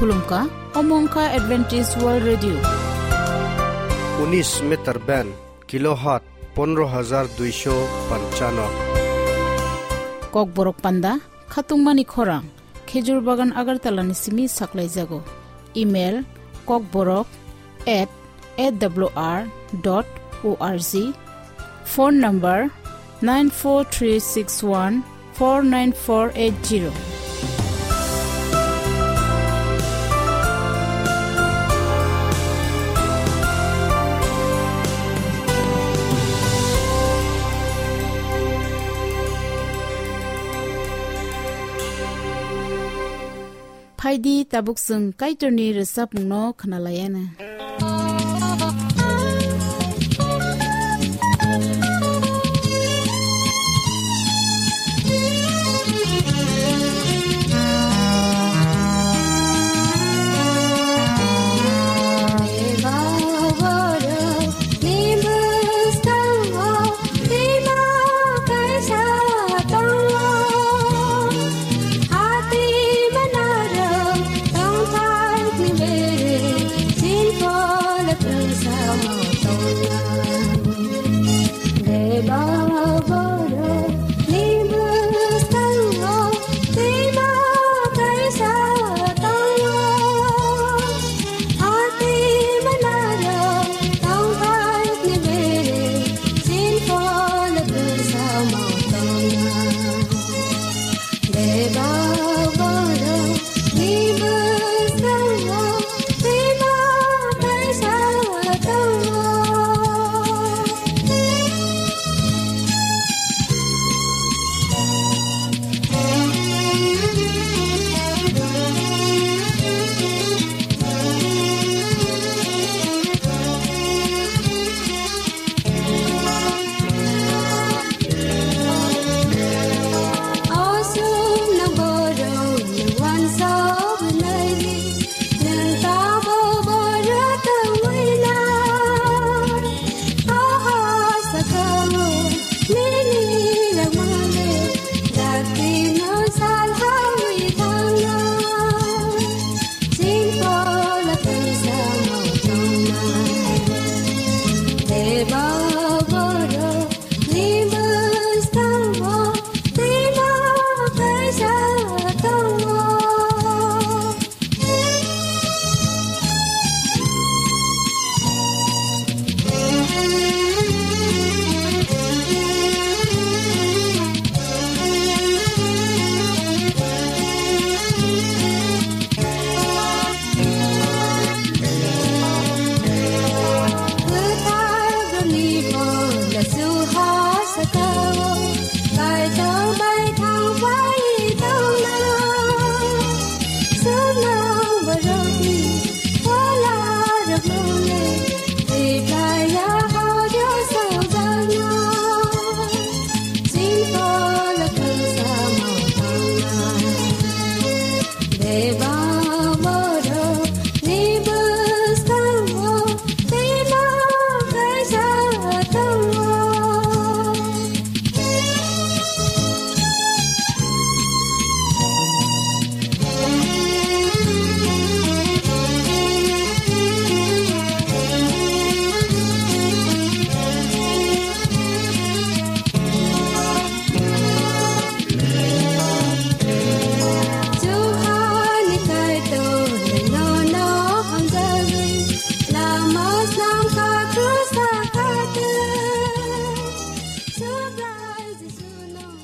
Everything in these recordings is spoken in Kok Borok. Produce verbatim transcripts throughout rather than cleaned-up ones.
Khulumkha, omo wngkha Adventist World Radio. Unis meter band, kilohertz pondro hajar duisho panchano. Kokborok panda, khatungmani khorang, Khejur Bagan Agartala ni simi saklaijago. Email, kokborok at A W R dot O R G. Phone number nine four three six one four nine four eight zero. Phaidi tabuk chwng Kaitorni rwchapmungno khwnalaiana.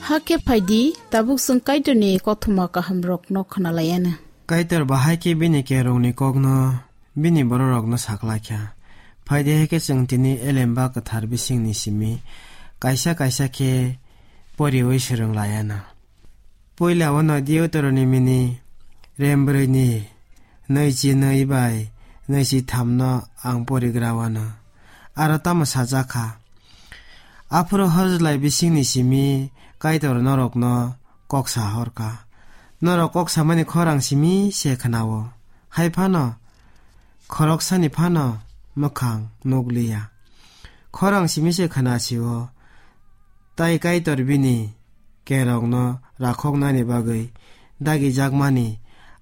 Hakhe phaidi, tabuk chwng Kaitorni kothoma kahamrokno khwnalaiana. Kaitor bahai khe bini kerongni kokno bini bororokno saklaikha. Phaidi, hai khe chwng tini Elemba Kwthar bisingni simi kaisa kaisa khe poriwi swrwng laiana. Puila o no Deuteronomy ni rembrwi ni nwichi nwi bai nwichi tham no ang porigra wano. Aro tamo sajak kha, aphuru hojlai bisingni simi Kaitor norokno kok sa hor kha. Norok kok samani khorang simi se khwnao. Hai phano khoroksani phano mwkhang nukliya. Khorang simi se khwnasio. Tai Kaitor bini kerongno rakhoknani bagwi dagijakmani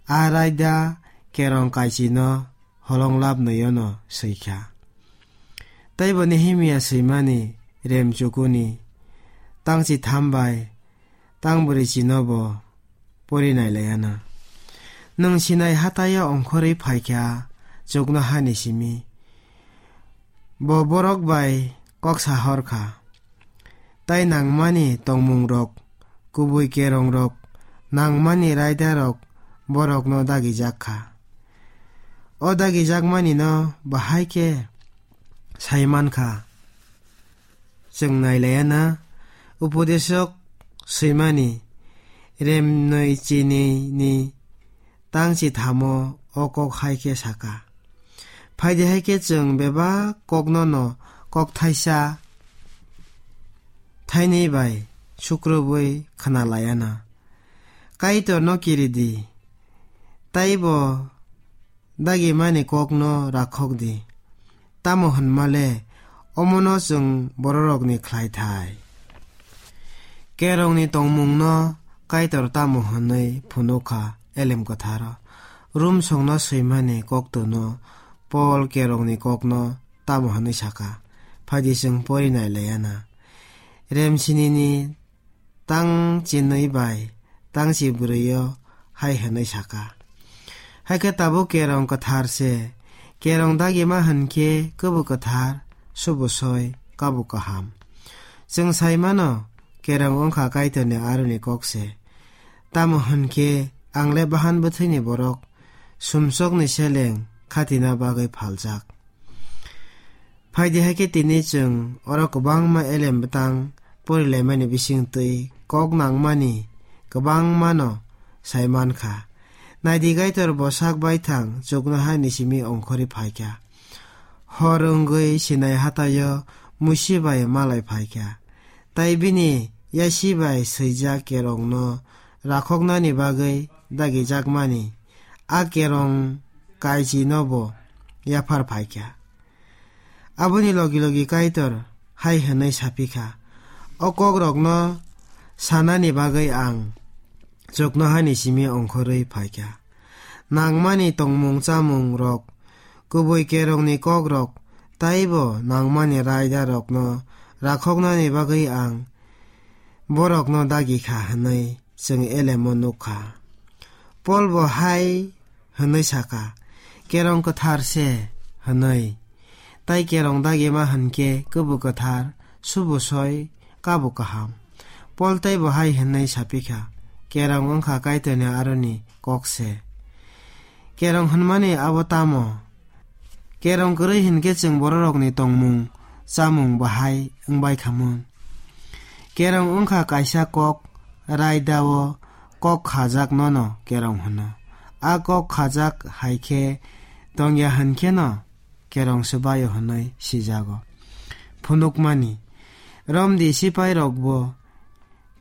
a raida kerong kaichino holong labnoyono swikha. Teibo Nehemia swimani rem chukuni tangchi tham bai tang bwrwi chinobo pori nailayana. Nwng Sinai hataio ongkhorwi phaikha chuknohani simi. Bo borok bai kok sahor kha. Tai nangmani tongmungrok, kubui kerongrok, nangmani raidarok borokno dagijak kha. O dagijakmanino bahai khe sai man kha. Chwng nailaiya na, upodesok swimani remnwi chinini tangchi thamo o kok hai khe saka. Phaidi hai khe chwng bebak kokno no kok thaisa thainwi bai sukrubwi khna laiya na. Kaitor no kiri di, taibo dagimani kokno rakhok di. Tamo hwnmale, omono chwng bororokni khlai thai. Kerongni tongmungno Kaitor tamo hwnwi phunukha Elem Kwtharo? Rum songno swimani koktono Pol kerongni kokno tamo hwnwi saka? Phaidi chwng pori nai laiya na. Remsinini tang chinwi bai tang chi bwrwi-o hai hwnwi saka. Hai khe tabuk kerong kwthar se, kerong dagima hwn khe kwbo kwthar, subo soi, kabo kaham. Chwng sai mano, kerong wngkha Kaitorni aroni kok se. Tamo hwn khe ang le bahan bwthwini borok, sumsokni seleng khatina bagwi phaljak. Phaidi hai khe tini chwng oro kwbangma elem bwtang porilaimani bisingtwi kok nangmani kwbangmano sai man kha. Naidi Kaitor bo sak baithang chuknohani simi ongkhorwi phai kha. Hor wngwi Sinai hataio Musi bai malai phai kha. Tai bini yasi bai swijak kerongno rakhoknani bagwi dagijakmani a kerong kaichino bo yaphar phai kha. Aboni logi logi Kaitor hai hwnwi sa phi kha, "O kokrokno sanani bagwi ang chuknohani simi ongkhorwi phai kha. Nangmani tongmung chamungrok, kubui kerongni kokrok, taibo nangmani raidarokno rakhoknani bagwi ang borokno dagi kha," hwnwi chwng elemo nuk kha. Pol bo hai hwnwi sa kha, "Kerong kwthar se," hwnwi. Tai kerong dagima hwn khe kwbo kwthar, subo soi, kabo kaham. Pol tei bo hai hwnwi sa phi kha, "Kerong wng kha Kaitorni aroni kok se." Kerong hwnmani abo tamo? Kerong kwrwi hwn khe chwng bororokni tongmung chamung bahai wng bai kha mun. Kerong wng kha kaisa kok, raida-o kok khajak nono kerong hwno. A kok khajak hai khe tong ya hwn khe no kerong swbai-o hwnwi sijago. Phunukmani, Romni sipairok bo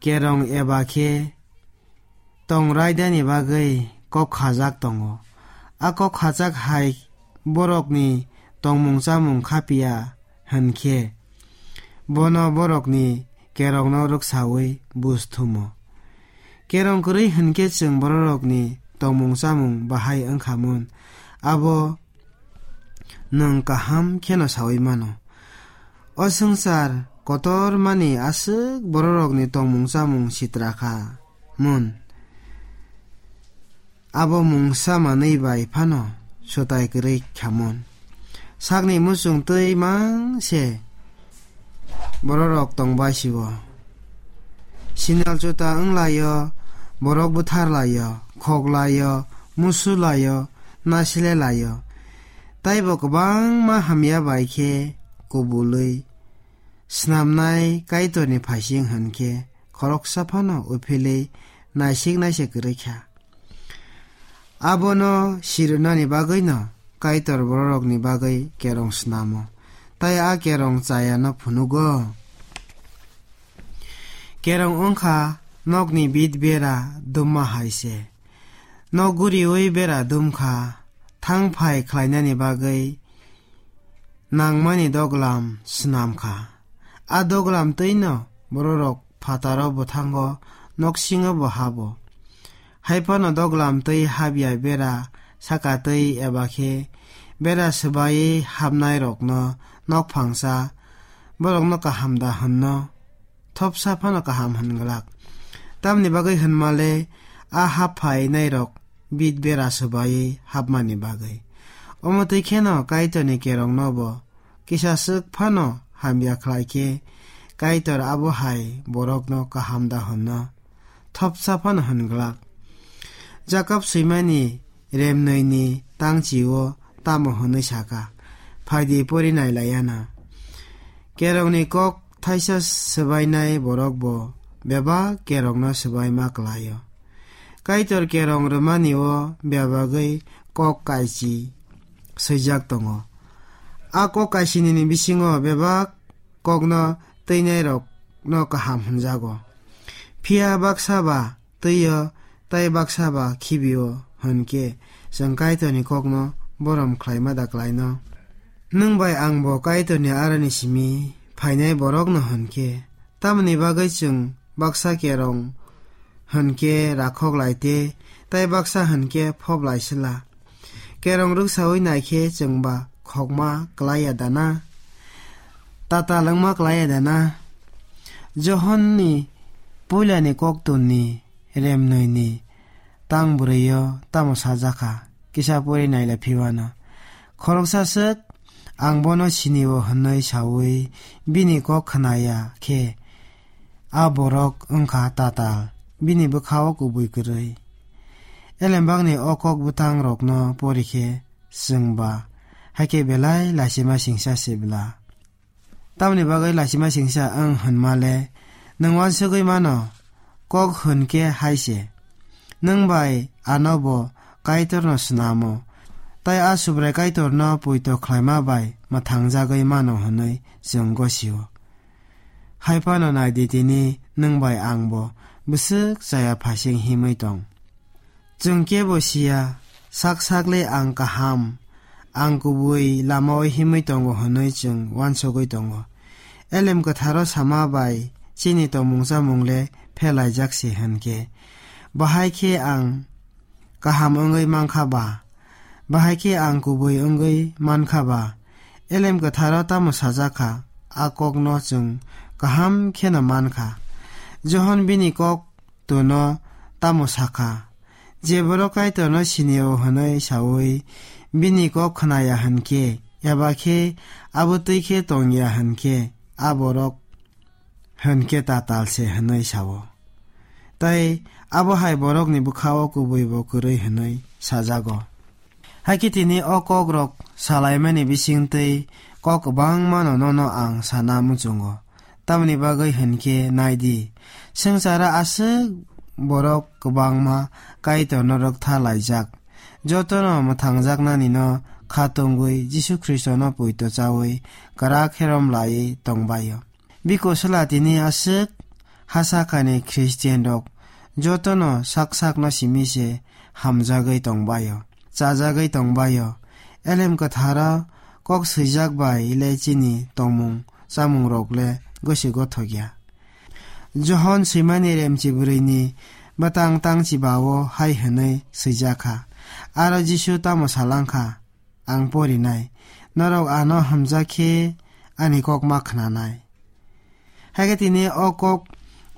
kerong eba khe tong raidani bagwi kok khajak tongo. A kok khajak hai borokni tongmung chamung kha piya hwn khe, bono borokni kerongno rwksaui buj thumo. Kerong kwrwi hwn khe chwng bororokni tongmung chamung bahai wng kha mun, abo nwng kaham kheno saui mano. O swngchar kotormani aswk bororokni tongmung chamung sitra kha mun. Abo mungsa manwi bai phano swtai kwrwi kha mun. Sakni muchung twi mang se bororok tong bai si-o. Sinal chuta wng lai-o, borok buthar lai-o, khok lai-o, musu lai-o, nasile lai-o. Taibo kwbangma hamya bai khe kubulwi snamnai Kaitorni phaising hwn khe khoroksa phano uphilwi naisik naisik kwrwi kha. Abono sirwnani bagwino Kaitor bororokni bagwi kerong snamo, tai a kerong chayano phunugo. Kerong wng kha nokni bit bera dumma hai se. Nok guriui bera dum kha, thang phai khlainani bagwi nangmani doglam snam kha. A doglam twino bororok phataro bwthango noksingo bo habo. Hai phano doglam twi habya bera saka twi eba khe bera swbaiwi hapnairokno nokphangsa borokno kaham da hwnno thopsa phano kaham hwn glak. Tamni bagwi hwnmale a hap phainairok bit bera swbaiwi hapmani bagwi. Omo twi kheno Kaitorni kerongno bo kisa swk phano hamya khlai khe Kaitor abo hai borokno kaham da hwnno thopsa phano hwn glak. Jakob swimani remnwini tangchi-o tamo hwnwi saka, phaidi pori nai lai ya na. Kerongni kok thaisa swbainai borok bo bebak kerongno swbaima klai-o. Kaitor kerong rwmani-o bebagwi kok kaichi swijak tongo. A kok kaisinini bisingo bebak kokno twinairokno kaham hwnjago. Phiya baksa ba twi-o, tai baksa ba khibi-o hwn khe, chwng Kaitorni kokno borom khlaima da klaino? Nwng bai ang bo Kaitorni aroni simi phainai borokno hwn khe, tamoni bagwi chwng baksa kerong hwn khe rakhok lai tei, tai baksa hwn khe phop lai sila. Kerong rwksaui nai khe chwng ba khokma klai ya da na? Tatal wngma klai ya da na? Johonni puilani koktwmni remnwini tang bwrwi-o tamo sajak kha, kisa pori naila phiwano. Khoroksa swk, "Ang bono sini-o," hwnwi saui bini kok khna ya khe, a borok wng kha tatal, bini bwkha-o kubui kwrwi. Elembakni o kok bwtangrokno pori khe chwng ba hai khe belai lachima singsa se bla. Tamoni bagwi lachima singsa wng hwnmale nwng uansugwi mano, kok hwn khe hai se. Nwng bai ano bo Kaitorno snamo, tai a Subrai Kaitorno poito khlaima bai mwthangjagwi mano hwnwi chwng gosio. Hai phano nai di, tini nwng bai ang bo bwswk chaya phasing himwi tong. Chwng kebo siya, sak sakle ang kaham, ang kubui lamao himwi tongo hwnwi chwng uansugwi tongo. Elem Kwtharo sama bai chini tongmung chamungle phelaijak se hwn khe, bahai khe ang kaham wngwi mankha ba? Bahai khe ang kubui wngwi mankha ba? Elem Kwtharo tamo sajak kha, a kokno chwng kaham kheno mankha. Johon bini kok twno tamo sakha? Je borok Kaitorno sini-o hwnwi saui bini kok khnaya hwn khe, eba khe abo twi khe tong ya hwn khe, a borok hwn khe tatal se hwnwi sao. Tai abo hai borokni bwkha-o kubui bo kwrwi hwnwi sajago. Hai khe tini o kokrok salaimani bisingtwi kok kwbangmano nono ang sana muchungo. Tamoni bagwi hwn khe nai di, swngcharo aswk borok kwbangma Kaitorno rwktha laijak. Jotono mwthangjaknanino kha tongwi Jisu Khristono poito chaui kwrak herom laiwi tongbaio. Biko swla tini aswk hasakhani Christian rok jotono sak sakno simi se hamjagwi tongbaio, chajagwi tongbaio. Elem Kwtharo kok swijak bai le chini tongmung chamung rok le gosi gothok ya. Johon swimani remchi bwrwini bwtang tangchi ba-o hai hwnwi swijak kha, aro Jisu tamo salang kha? Ang porinai, norok ano hamjak khe ani kok ma khnanai. Hai khe tini o kok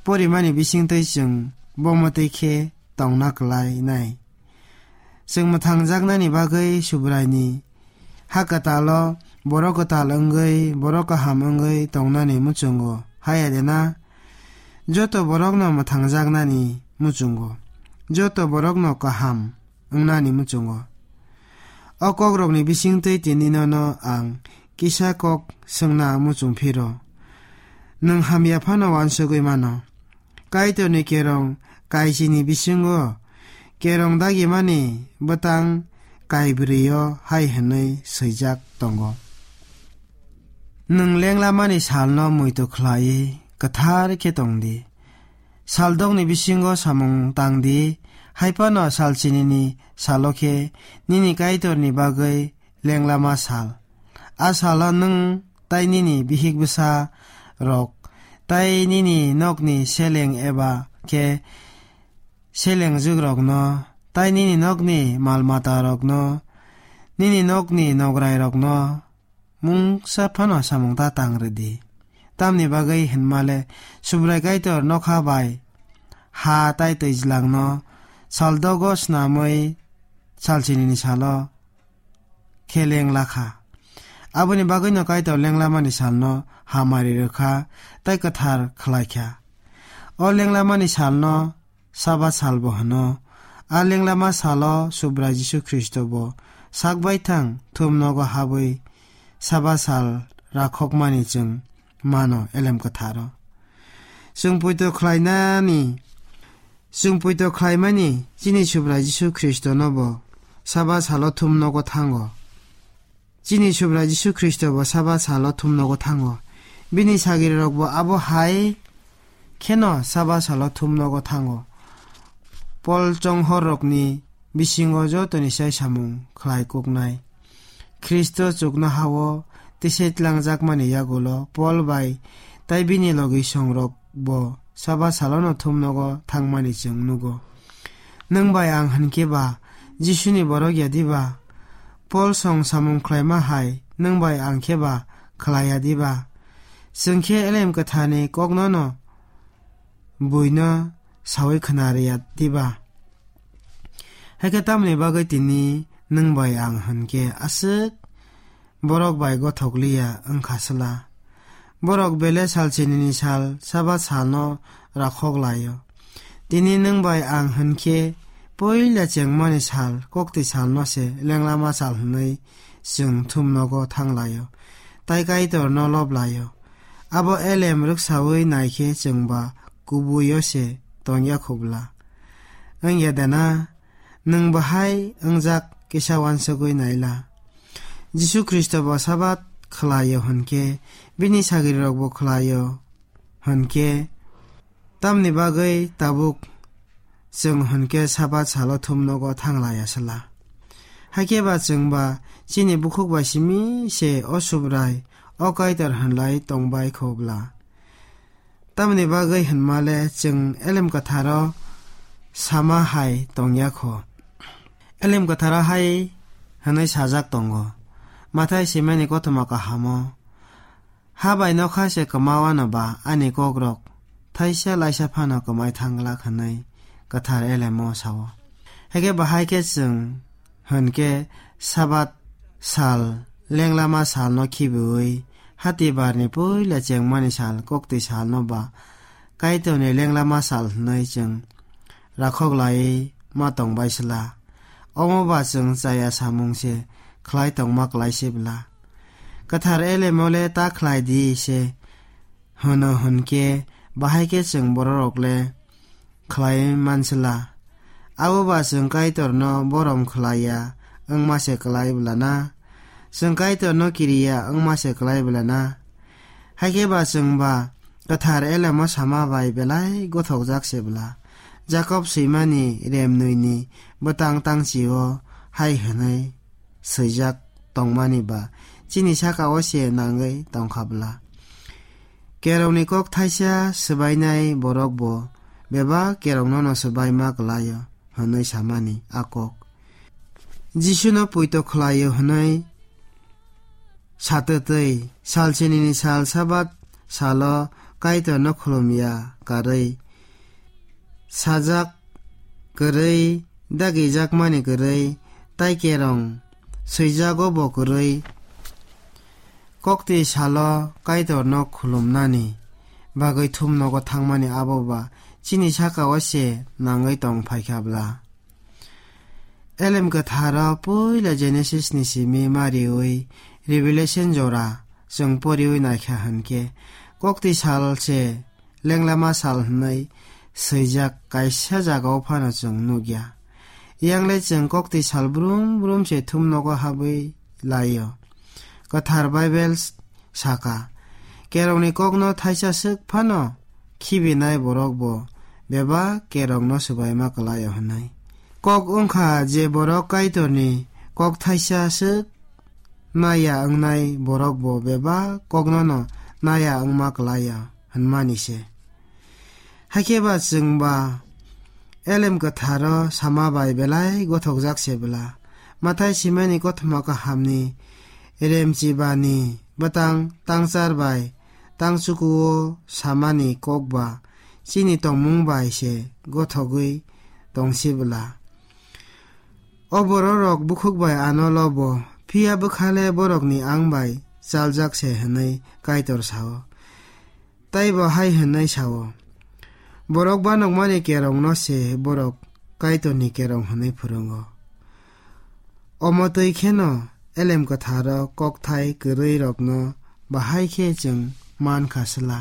porimani bisingtwi chwng bo mwtwi khe tongna kwlainai. Chwng mwthangjaknani bagwi Subraini ha kwtalo borok kwtal wngwi, borok kaham wngwi tongnani muchungo, haya de na? Joto borokno mwthangjaknani muchungo, joto borokno kaham wngnani muchungo. O kokrokni bisingtwi tini nono ang kisa kok swngna muchung phiro. Nwng hamya phano uansugwi mano. Kaitorni kerong kaichini bisingo kerong dagimani bwtang kaibrwi-o hai hwnwi swijak tongo: Nwng lenglamani salno muitu khlaiwi kwthar khe tong di. Saldokni bisingo samung tang di, hai phano salchinini salo khe nini Kaitorni bagwi lenglama sal. A salo nwng tai nini bihik bwsa rok tai nini nokni seleng eba khe selengjukrokno tei nini nokni mal-matarokno, nini nokni nograirokno mungsa phano samung ta tang rw di. Tamni bagwi hwnma le Subrai Kaitor nokha bai ha tei twijlangno sal dogo snamwi sal sinini salo khe lengla kha. Aboni bagwino Kaitor lenglamani salno hamari rw kha tei kwthar khlai kha. O lenglamani salno Sabat salbo hwno. A lenglama salo Subrai Jisu Khristo bo sak baithang thum nogo habwi Sabat sal rakhokmani chwng mano Elem Kwtharo. Chwng poito khlainani, chwng poito khlaimani chini Subrai Jisu Khristono bo Sabat salo thum nogo thango. Chini Subrai Jisu Khristo bo Sabat salo thum nogo thango. Bini sagrirok bo abo hai kheno Sabat salo thum nogo thango. Pol chonghorrokni bisingo jotoni sai samung khlai kuknai. Khristo chuknohao tisai tlangjakmani yagulo Pol bai tei bini logi songrok bo Sabat salono thum nogo thangmani chwng nugo. Nwng bai ang hwn khe ba Jisuni borok ya diba? Pol song samung khlaima hai nwng bai ang khe ba khlai ya diba? Chwng khe Elem Kwtharni koknono buino saui khna rw ya diba? Hakhe tamni bagwi tini nwng bai ang hwn khe aswk borok bai gothok liya wng kha sla. Borok bele sal sinini sal Sabat salno rakhok lai-o. Tini nwng bai ang hwn khe puila chengmani sal, kokti salno se lenglama sal hwnwi chwng thum nogo thang lai-o, tei Kaitorno lob lai-o. Abo elem rwksaui nai khe chwng ba kubui-o se tong ya kho bla. Wng ya da na? Nwng bahai wngjak kisa uansugui naila. Jisu Khristo bo Sabat khlai-o hwn khe, bini sagrirok bo khlai-o hwn khe, tamni bagwi tabuk chwng hwn khe Sabat salo thum nogo thang lai ya sla? Hakhe ba chwng ba chini bukhuk bai simi se o Subrai, o Kaitor hwn lai tong bai kho bla? Tamni bagwi hwnma le chwng Elem Kwtharo sama hai tong ya kho. Elem Kwtharo hai hwnwi sajak tongo, Mathai swimani kothoma kahamo, "Ha bai nokha se kwma wano ba ani kokrok thaisa laisa phano kwmai thang glak," hwnwi Kwthar Elemo sao. Hakhe bahai khe chwng hwn khe Sabat sal, lenglama salno khibiui, hatibarni puila chengmani sal, kokti salno ba Kaitorni lenglama sal hwnwi chwng rakhok laiwi ma tong bai sla. Omo ba chwng chaya samung se khlai tongma klai se bla? Kwthar Elemo le ta khlai di se hwno hwn khe, bahai khe chwng bororok le khlai man sla. Abo ba chwng Kaitorno borom khlai ya wngma se klai bla na? Chwng Kaitorno kiri ya wngma se klai bla na? Hakhe ba chwng ba Kwthar Elemo sama bai belai gothokjak se bla? Jakob swimani remnwini bwtang tangchi-o hai hwnwi swijak tongmani ba chini saka-o se nangwi tongkha bla? Kerongni kok thaisa swbainai borok bo bebak kerongno no swbaima klai-o hwnwi samani a kok. Jisuno puito khlai-o hwnwi satwtwi, sal sinini sal Sabat salo Kaitorno khulum ya karwi, sajak kwrwi, dagijakmani kwrwi, tei kerong swijago bo kwrwi, kokti salo Kaitorno khulumnani bagwi thum nogo thangmani abo ba chini saka-o se nangwi tong phai kha bla? Elem Kwtharo puila Genesis ni simi ma riui Revelation jora chwng poriui naikha hwnkhe, kokti sal se lenglama sal hwnwi swijak kaisa jagao phano chwng nukya. Yangle chwng kokti sal brum brum se thum nogo habwi lai-o. Kwthar Bible saka, "Kerongni kokno thaisa swk phano khibinai borok bo bebak kerongno swbaima klai-o," hwnwi. Kok wngkha je borok Kaitorni kok thaisa swk naya wngnai borok bo bebak koknono naya wngma klai-o hwnmani se. Hakhe ba chwng ba Elem Kwtharo sama bai belai gothokjak se bwla. Mathai simani kothoma kahamni remchibani bwtang tangchar bai tangchukuo samani kok ba chini tongmung bai se gothogwi tong se bwla. O bororok bukhuk bai ano lobo, phiya bwkhale borokni ang bai chaljak se hwnwi Kaitor sao. Tei bo hai hwnwi sao, "Borok banokmani kerongno se borok Kaitorni kerong hwnwi phwrwngo." Omo twi kheno Elem Kwtharo kokthai kwrwirokno bahai khe chwng man kha sla.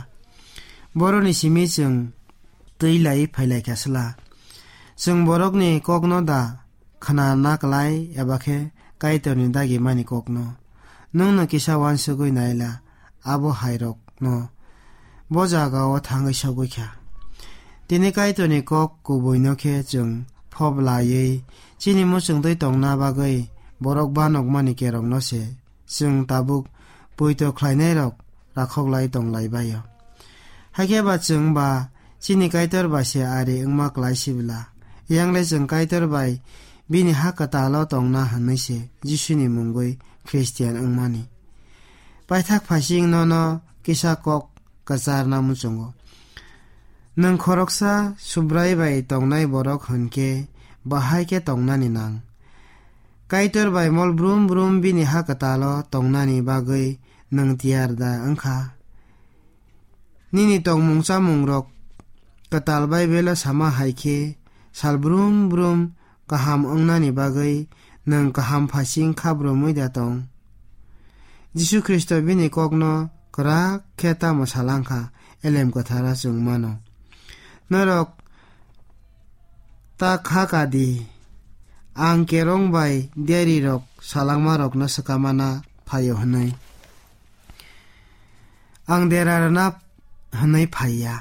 Borokni simi chwng twi lai phai lai kha sla. Chwng borokni kokno da khna na klai eba khe Kaitorni dagimani kokno. Nwngno kisa uansugwi naila abo hairokno bo jagao thangwi sogwi kha. Tini Kaitorni kok kubuino khe chwng phob laiwi chini muchungtwi tongna bagwi borok banokmani kerongno se chwng tabuk poito khlainairok rakhoklai tonglai bai-o. Hakhe ba chwng ba chini Kaitor bai se ari wngma klai sibla. Yangle chwng Kaitor bai bini ha kwtalo tongna hwnwi se Jisuni mungwi Khristian wngmani. Paithak phaising nono kisa kok kwcharna muchungo. Nwng khoroksa Subrai bai tongnai borok hwn khe bahai khe tongnani nang. Kaitor bai mol brum brum bini ha kwtalo tongnani bagwi nwng tiyar da wng kha? Nini tongmung chamungrok kwtal Baibelo sama hai khe sal brum brum kaham wngnani bagwi nwng kaham phaising khabrumwi da tong? Jisu Khristo bini kokno kwrak khe tamo salang kha, Elem Kwthara chwng mano. Norok ta kha ka di, ang kerong bai diarirok salangmarokno swkamana phaio hwnwi. Ang dera rwna hwnwi phai ya,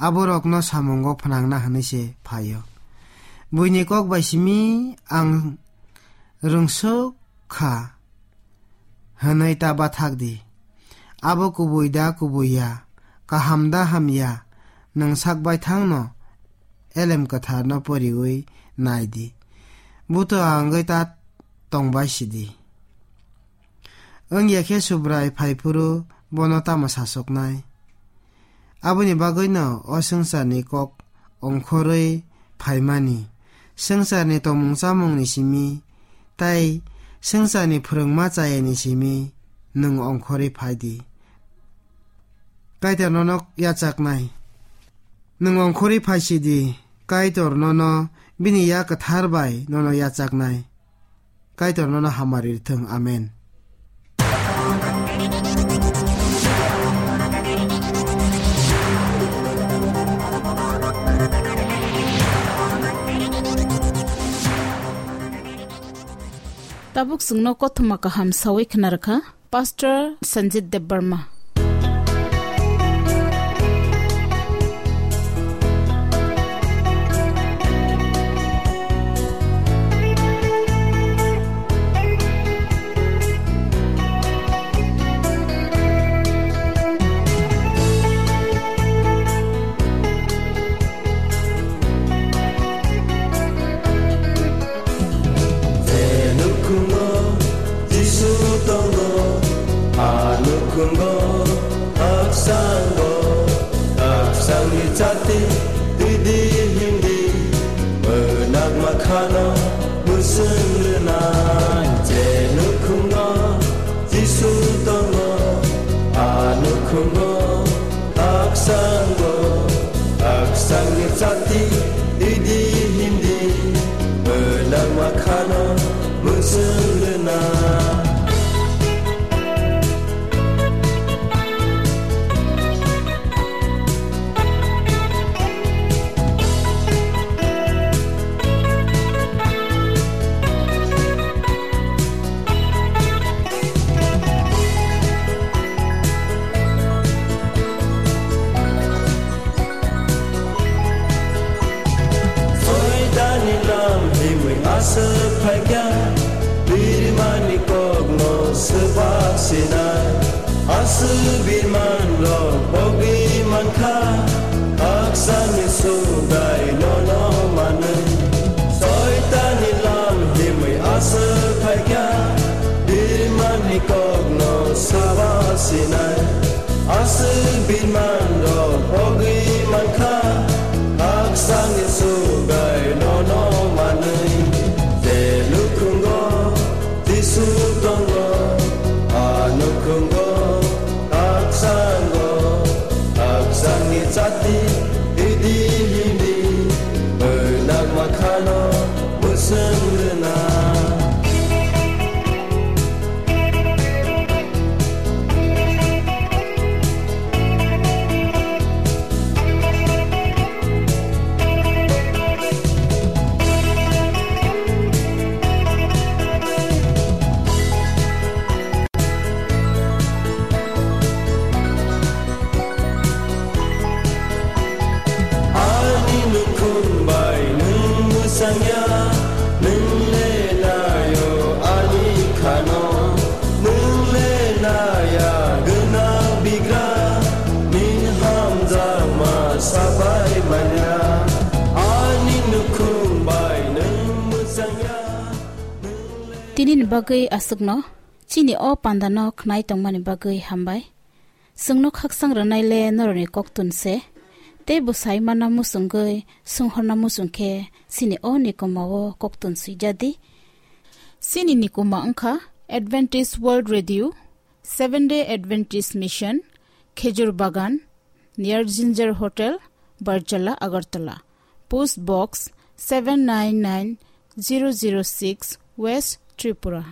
aborokno samungo phnangna hwnwi se phaio. Buini kok bai simi ang rwngsuk kha hwnwi ta bathak di. Abo kubui da kubui ya, kaham da hamya, nwng sak baithangno Elem Kwtharno poriwi nai di. Buto wngwi ta tongbai si di. Wng ya khe Subrai phai phuru bono tamo sasoknai? Aboni bagwino o swngcharni kok ongkhorwi phaimani, swngcharni tongmung chamungni simi tei swngcharni phrwngma chayani simi nwng ongkhorwi phai di. Kaitor nono yachaknai. Nwng ongkhorwi phai si di, Kaitor nono bini Yak Kwthar bai nono yachaknai. Kaitor nono hamari rwthwng. Amen. Tabuk chwngno kothoma kaham sawi khna rwkha Pastor Sanjit Debbarma. Je nukhungo Jisu tongo, a nukhungo khaksango, khaksangni chati twi di himdi, mwnakma khano mwswng rwnai. Je nukhungo Jisu tongo, a nukhungo khaksango, khaksangni chati twi di himdi, mwnakma khano mwswng rwna. Soitani lam himwi aswk phaikha, birmani kokno swbak sinai. Aswk birman rok bogwi mankha, khakchangni Subrai nono man Sinai, aswk biman rok pogwi mankha, haksa ni sugai nono manwi. Je nukhungo Jisu tongo, a nukhungo haksango, haksani chati idi hini, bwnak makhano bwswng rwna. Ani nukhung bai nwng mwsangya, nwng le nayo ani khano, nwng le naya gwnang bigra, nini hamjakma sabai manya. Ani nukhung bai nwng mwsangya, nwng le Tini ni bagwi aswkno, chini o panda no khnai tongmani bagwi hambai. Chwngno khaksang rwnai le norokni koktun se, tei bo sai manna muchungwi, swnghorna muchung khe, chini o nikoma o koktun swijadi. Chini nikoma wngkha Adventist World Radio, Seventh Day Adventist Mission, Khejur Bagan, near Ginger Hotel, Barjala, Agartala. Post Box seven nine nine zero zero six, West Tripura.